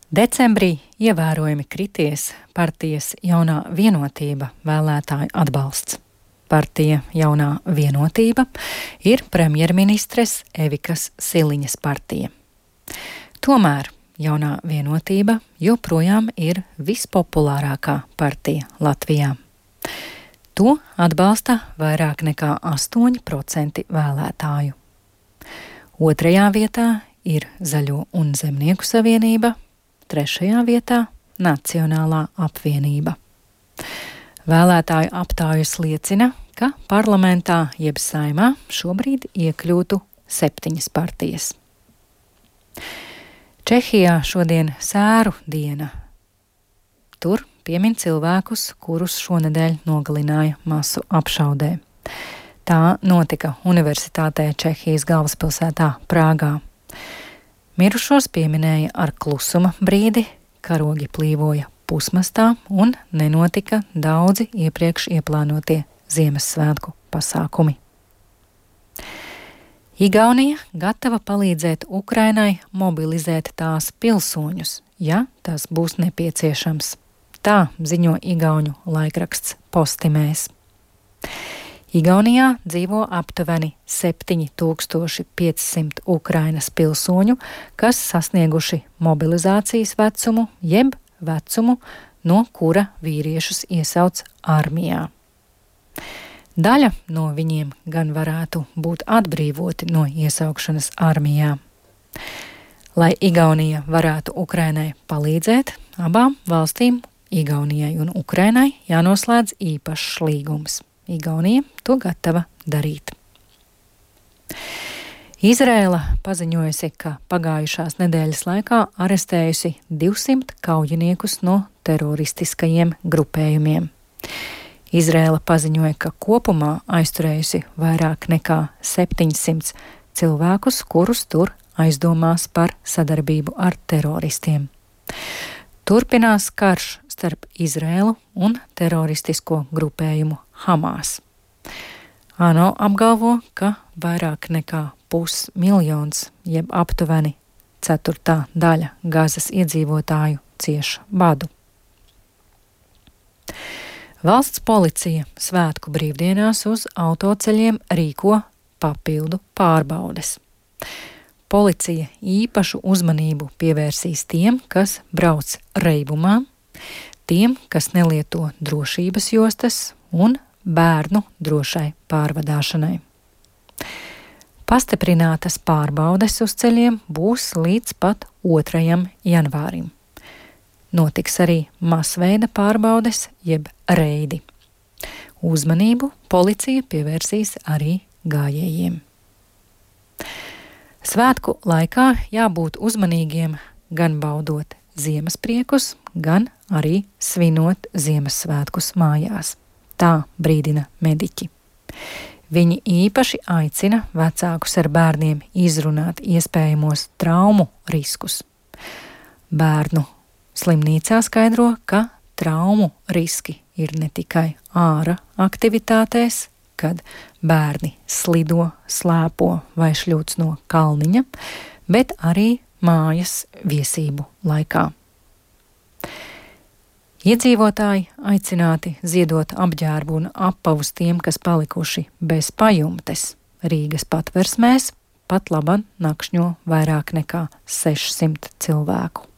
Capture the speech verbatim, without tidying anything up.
Decembrī ievērojami krities partijas Jaunā Vienotība vēlētāju atbalsts. Partija Jaunā Vienotība ir premjerministres Evikas Siliņas partija. Tomēr Jaunā Vienotība joprojām ir vispopulārākā partija Latvijā. To atbalsta vairāk nekā astoņi procenti vēlētāju. Otrajā vietā ir Zaļo un Zemnieku savienība, trešajā vietā Nacionālā apvienība. Vēlētāju aptājas liecina, ka parlamentā jeb Saeimā šobrīd iekļūtu septiņas partijas. Čehijā šodien sēru diena. Tur piemin cilvēkus, kurus šonedēļ nogalināja masu apšaudē. Tā notika Universitātē Čehijas galvaspilsētā Prāgā. Mirušos pieminēja ar klusuma brīdi, karogi plīvoja pusmastā un nenotika daudzi iepriekš ieplānotie Ziemassvētku pasākumi. Igaunija gatava palīdzēt Ukrainai mobilizēt tās pilsoņus, ja tas būs nepieciešams. Tā ziņo igauņu laikraksts Postimēs. Igaunijā dzīvo aptuveni septiņi tūkstoši piecsimt Ukrainas pilsoņu, kas sasnieguši mobilizācijas vecumu, jeb vecumu, no kura vīriešus iesauc armijā. Daļa no viņiem gan varētu būt atbrīvoti no iesaukšanas armijā. Lai Igaunija varētu Ukrainai palīdzēt, abām valstīm, Igaunijai un Ukrainai, jānoslēdz īpašs līgums. Igaunija to gatava darīt. Izraela paziņojusi, ka pagājušās nedēļas laikā arestējusi divsimt kaujiniekus no teroristiskajiem grupējumiem. Izraela paziņoja, ka kopumā aizturējusi vairāk nekā septiņsimt cilvēkus, kurus tur aizdomās par sadarbību ar teroristiem. Turpinās karš starp Izraelu un teroristisko grupējumu Hamas. ANO apgalvo, ka vairāk nekā pusmiljons, jeb aptuveni ceturtā daļa Gazas iedzīvotāju cieš badu. Valsts policija svētku brīvdienās uz autoceļiem rīko papildu pārbaudes. Policija īpašu uzmanību pievērsīs tiem, kas brauc reibumā, tiem, kas nelieto drošības jostas un bērnu drošai pārvadāšanai. Pastiprinātas pārbaudes uz ceļiem būs līdz pat otrajam janvārim. Notiks arī masveida pārbaudes jeb reidi. Uzmanību policija pievērsīs arī gājējiem. Svētku laikā jābūt uzmanīgiem gan baudot Ziemasspriekus, gan arī svinot Ziemassvētkus mājās. Tā brīdina mediķi. Viņi īpaši aicina vecākus ar bērniem izrunāt iespējamos traumu riskus. Bērnu slimnīcā skaidro, ka traumu riski ir ne tikai ārā aktivitātēs, kad bērni slido, slēpo vai šļūc no kalniņa, bet arī mājas viesību laikā. Iedzīvotāji aicināti ziedot apģērbu un apavus tiem, kas palikuši bez pajumtes. Rīgas Patversmēs pat laban nakšņo vairāk nekā sešsimt cilvēku.